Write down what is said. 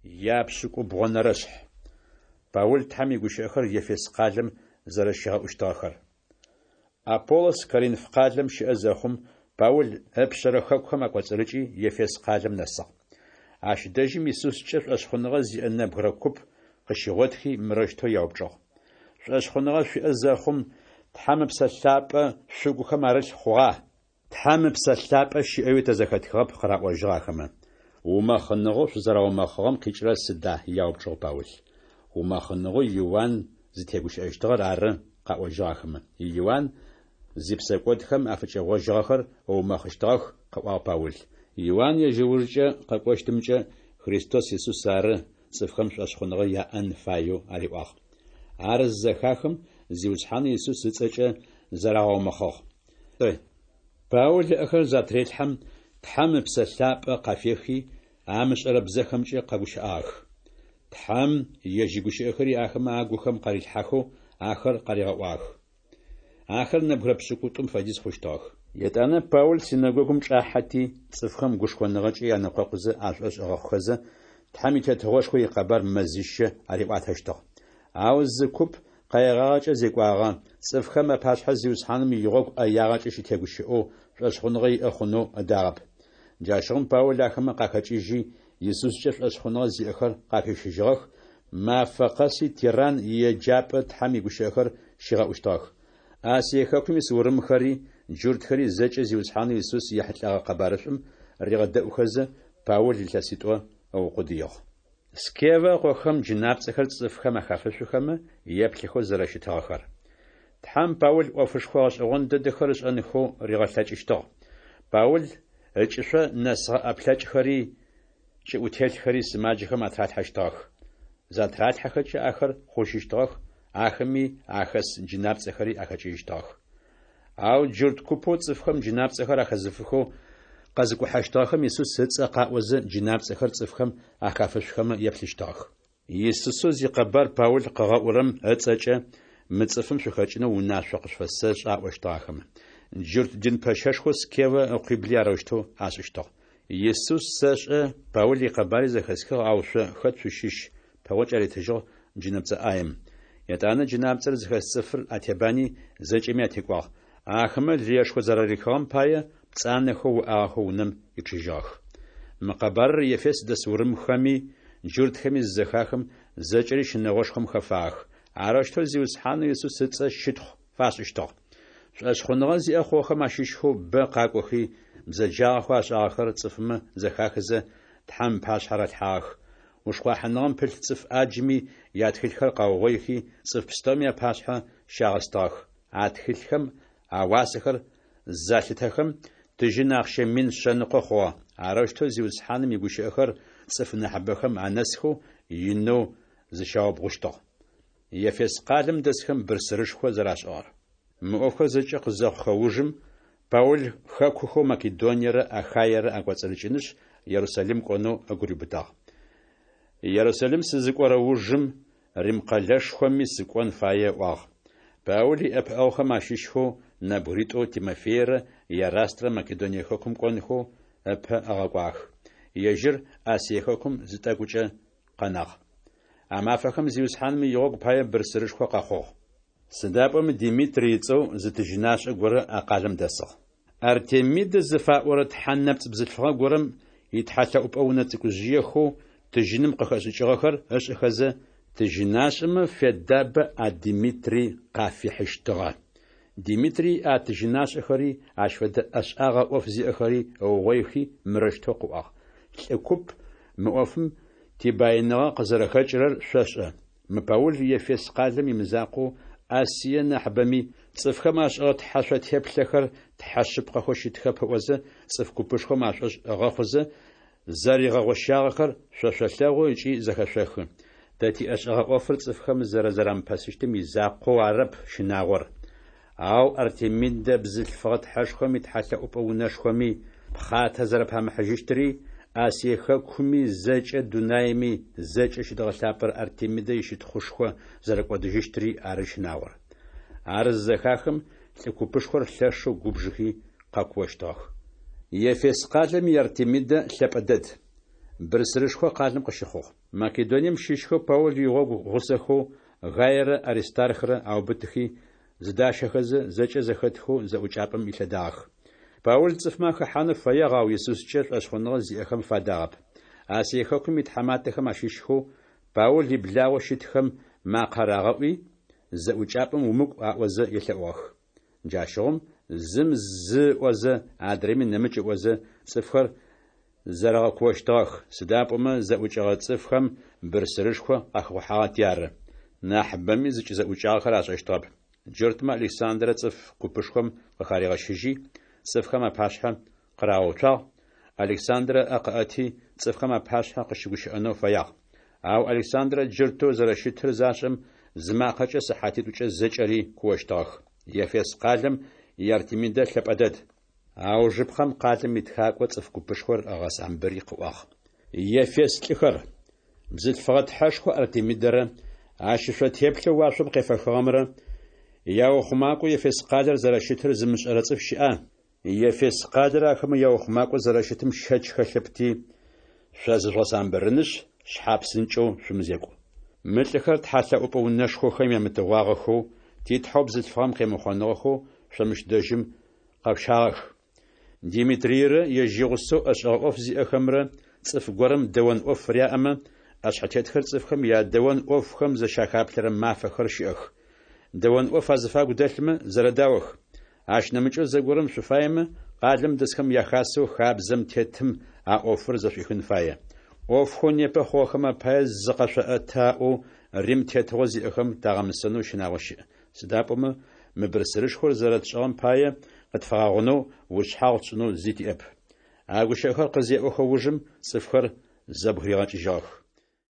Япшӏыкӏубгъонэрэшъхь. Паул Тхьэм игущыӏэхэр Ефес къалэм зэрэщигъэӏущтыгъэхэр. Аполлос Коринф къалэм щыӏэ зэхъум, Паул ыпшъэрэ хэкухэм акӏоцӏырыкӏи, Ефес къалэм нэсыгъ. Ащ дэжьым Исускӏэ шӏошъхъуныгъэ зиӏэ нэбгырэ куп къыщигъотхи, мырэущтэу яупчӏыгъ: Шӏошъхъуныгъэ шъуиӏэ зэхъум, Тхьэм Ыпсэ Лъапӏэ шъугухэм арылъ хъугъа? Тхьэм Ыпсэ Лъапӏэ щыӏэуи тэ зэхэтхыгъэп, къыраӏожьыгъ ахэмэ. Умэхъыныгъэу шъузэраумэхъыгъэм къикӏырэр сыда? яупчӏыгъ Паул. Умэхъыныгъэу Иуан зытегущыӏэщтыгъэр ары, къаӏожьыгъ ахэмэ. Иуан зипсэкӏодхэм афыкӏэгъожьыгъэхэр ыумэхъыщтыгъэх, къыӏуагъ Паул. Иуан ежь ыужкӏэ къэкӏощтымкӏэ Христос Исус ары цӏыфхэм шӏошъхъуныгъэ яӏэн фаеу ариӏуагъ. Ар зызэхахым, Зиусхьанэу Исус ыцӏэкӏэ зарагъэумэхъыгъ. Паул ыӏэхэр затрелъхьэм, Тхьэм Ыпсэ Лъапӏэ къафехи, амышӏэрэ бзэхэмкӏэ къэгущыӏагъэх. Тхьэм ежь игущыӏэхэри ахэмэ агухэм къарилъхьахэу ахэр къаригъэӏуагъэх. Ахэр нэбгырэ пшӏыкӏутӏум фэдиз хъущтыгъэх. Етӏанэ Паул синэгогум чӏахьэти, цӏыфхэм гушхоныгъэкӏэ янэкъокъузэ ашӏошъ ыгъэхъухэзэ, Тхьэм и Тетыгъошхо икъэбар мэзищэ ариӏуатэщтыгъ. Ау зы куп къаигъагъэкӏэ зекӏуагъэ, цӏыфхэм апашъхьэ Зиусхьаным игъогу ӏэягъэкӏэ щытегущыӏэу шӏошъхъуныгъэ иӏэ хъунэу ыдагъэп. Джащыгъум Паул ахэмэ къахэкӏыжьи, Исускӏэ шӏошъхъуныгъэ зиӏэхэр къахищыжьыгъэх, мафэ къэси Тиранн иеджапӏэ Тхьэм игущыӏэхэр щигъэӏущтыгъэх. Асие хэкум ис урымхэри, джуртхэри зэкӏэ Зиусхьанэу Исус ехьылӏэгъэ къэбарышӏум ригъэдэӏухэзэ, Паул илъэситӏо ыукъудыигъ. Скевэ ыкъохэм джынапцӏэхэр цӏыфхэм ахафышъухэмэ еплъыхэу зэрэщытыгъэхэр. Тхьэм Паул ӏофышхо гъэшӏэгъон дэдэхэр ышӏэнхэу ригъэлъэкӏыщтыгъ. Паул ыкӏышъо нэсыгъэ ӏэплъэкӏхэри, кӏыӏутелъхэри сымаджэхэм атралъхьэщтыгъэх. Затралъхьэхэкӏэ ахэр хъужьыщтыгъэх, ахэми ахэс джынапцӏэхэри ахэкӏыжьыщтыгъэх. Ау джурт купэу цӏыфхэм джынапцӏэхэр ахэзыфыхэу къэзыкӏухьэщтыгъэхэм Исус ыцӏэ къаӏозэ джынапцӏэхэр цӏыфхэм ахафышъухэмэ еплъыщтыгъэх. Исусэу зикъэбар Паул къыгъэӏурэм ыцӏэкӏэ мы цӏыфым шъухэкӏынэу унашъо къышъуфэсэшӏы аӏощтыгъ ахэмэ. Джурт дин пэщэшхоу Скевэ ыкъуибли арэущтэу ашӏыщтыгъ. Исус сэшӏэ, Паул икъэбари зэхэсхыгъ, ау шъо хэт шъущыщ? пэгъокӏ аритыжьыгъ джынэпцӏэ ӏаем. Етӏанэ джынапцӏэр зыхэс цӏыфыр атебани, зэкӏэми атекӏуагъ. Ахэмэ лыешхо зэрарихыгъэм пае, пцӏанэхэу уӏагъэхэу унэм ичъыжьыгъэх. Мы къэбарыр Ефес дэс урымхэми джуртхэми зызэхахым, зэкӏэри щынэгъошхом хэфагъэх. Арэущтэу Зиусхьанэу Исус ыцӏэ щытхъу фашӏыщтыгъ. Шӏошъхъуныгъэ зиӏэ хъугъэхэм ащыщхэу бэ къакӏохи, бзэджагъэхэу ашӏагъэхэр цӏыфмэ зэхахызэ, Тхьэм ыпашъхьэ ралъхьагъэх. Ушхъуахьыныгъэм пылъ цӏыф ӏаджми ятхылъхэр къаугъоихи, цӏыф пстэуми апашъхьэ щагъэстыгъэх. А тхылъхэм ауасэхэр залъытэхэм, тыжьын ахъщэ 100 100 хъугъэ. Арэущтэу Зиусхьаным игущыӏэхэр цӏыф нахьыбэхэм анэсхэу инэу зыщаубгъущтыгъ. Ефес къалэм дэсхэм бырсырышхо зэрашӏыгъэр. Мы ӏофхэр зэкӏэ къызэхъухэ ужым, Паул хэкухэу Македониерэ Ахаерэ акӏоцӏырыкӏынышъ, Ерусалим кӏонэу ыгу риубытагъ. Ерусалим сызыкӏорэ ужым, Рим къэлэшхоми сыкӏон фае ыӏуагъ. Паул иӏэпыӏэгъухэм ащыщхэу нэбгыритӏоу Тимофейрэ Ерастрэ Македоние хэкум кӏонхэу ыпэ ыгъэкӏуагъэх. Ежьыр Асие хэкум зы тӏэкӏукӏэ къэнагъ. А мафэхэм Зиусхьаным игъогу пае бырсырышхо къэхъугъ. Сыда пӏомэ Димитрий ыцӏэу зы тыжьынашӏэ горэ а къалэм дэсыгъ. Артемидэ зыфаӏорэ тхьэ нэпцӏ бзылъфыгъэ горэм итхьэлъэӏупӏэ унэ цӏыкӏужъыехэу тыжьыным къыхэшӏыкӏыгъэхэр ышӏыхэзэ, тыжьынашӏэмэ федабэ а Димитрий къафихьыщтыгъэ. Димитрий а тыжьынашӏэхэри, ащ фэдэ ӏэшӏагъэ ӏоф зиӏэхэри ыугъоихи, мырэущтэу къыӏуагъ: Лӏы куп, мы ӏофым тибаиныгъэ къызэрэхэкӏырэр шъошӏэ. Мы Паул Ефес къалэм имызакъоу, Асие нахьыбэми, цӏыфхэм ашӏыгъэ тхьэшъо теплъэхэр тхьэ шъыпкъэхэу щытхэп ыӏозэ, цӏыф купышхом ашӏошъ ыгъэхъузэ, зэригъэгъощагъэхэр шъо шъолъэгъу ыкӏи зэхэшъохы. Тэ тиӏэшӏэгъэ ӏофыр цӏыфхэм зэрэзэрамыпэсыщтым изакъоу арэп щынагъор. Ау Артемидэ бзылъфыгъэ тхьэшхом итхьэлъэӏупӏэ унэшхоми пхъатэ зэрэпамыхьыжьыщтыри, Асие хэкуми зэкӏэ дунаеми зэкӏэ щыдгъэлъапӏэрэ Артемидэ ищытхъушхо зэрэкӏодыжьыщтри ары щынагъор. Ар зызэхахым, лӏы купышхор лъэшэу губжыхи къэкуощтыгъэх. Ефес къалэм и Артемидэ лъэпӏэ дэд. Бырсырышхо къалэм къыщыхъугъ. Македонием щыщхэу Паул игъогу гъусэхэу Гаерэ Аристархрэ аубытыхи зыдащэхэзэ, зэкӏэ зэхэтхэу зэӏукӏапӏэм илъэдагъэх. Паул цӏыфмэ ахэхьанэу фэягъ, ау Исускӏэ шӏошъхъуныгъэ зиӏэхэм фадагъэп. Асие хэкум итхьаматэхэм ащыщхэу Паул иблагъэу щытхэм макъэ рагъэӏуи, Зэӏукӏапӏэм умыкӏу аӏозэ елъэӏугъэх. Джащыгъум зым зы ыӏозэ, адрэми нэмыкӏ ыӏозэ, цӏыфхэр зэрэгъэкуощтыгъэх, сыда пӏомэ зэӏукӏэгъэ цӏыфхэм бырсырышхо къахэхъухьагъэти ары. Нахьыбэми зыкӏызэӏукӏагъэхэр ашӏэщтыгъэп. Джуртмэ Александрэ цӏыф купышхом къыхаригъэщыжьи, цӏыфхэм апашъхьэ къырагъэуцуагъ. Александрэ ыӏэ къыӏэти, цӏыфхэм апашъхьэ къыщыгущыӏэнэу фэягъ. Ау Александрэ джуртэу зэрэщытыр зашӏэм, зы макъэкӏэ сыхьатитӏукӏэ зэкӏэри куощтыгъэх. Ефес къалэм и Артемидэ лъэпӏэ дэд! Аужыпкъэм къалэм итхакӏо цӏыф купышхор ыгъэсамбыри къыӏуагъ: Ефес лӏыхэр! Бзылъфыгъэ тхьэшхо Артемидэрэ ащ ышъо теплъэу уашъом къефэхыгъэмрэ яухъумакӏоу Ефес къалэр зэрэщытыр зымышӏэрэ цӏыф щыӏа? Ефес къалэр ахэмэ яухъумакӏоу зэрэщытым щэч хэлъэпти, шъо зыжъугъэсамбырынышъ, шъхьапсынкӏэу шъумызекӏу. Мы лӏыхэр тхьэлъэӏупӏэ унэшхохэм ямытыгъуагъэхэу, титхьэу бзылъфыгъэм къемыхъоныгъэхэу шъо мыщ дэжьым къэшъущагъэх. Димитрийрэ ежь игъусэу ӏэшӏэгъэ ӏоф зиӏэхэмрэ цӏыф горэм дэон ӏоф фыряӏэмэ, ӏэшъхьэтетхэр цӏыфхэм ядэон ӏофхэм зыщахаплъэрэ мафэхэр щыӏэх. Дэон ӏоф азыфагу дэлъмэ, зэрэдаох. Ащ нэмыкӏэу зэгорэм шъуфаемэ, къалэм дэсхэм яхасэу хабзэм тетым а ӏофыр зэшӏуихын фае. ӏофхэу непэ хъугъэхэм апае зыкъэшъоӏэты аӏоу Рим тетыгъо зиӏэхэм тагъэмысэнэу щынагъо щыӏ. Сыда пӏомэ мы бырсырышхор зэрэтшӏыгъэм пае, къытфагъэгъунэу ушъхьагъу тшӏынэу зи тиӏэп. А гущыӏэхэр къызеӏохэ ужым, цӏыфхэр зэбгыригъэкӏыжьыгъэх.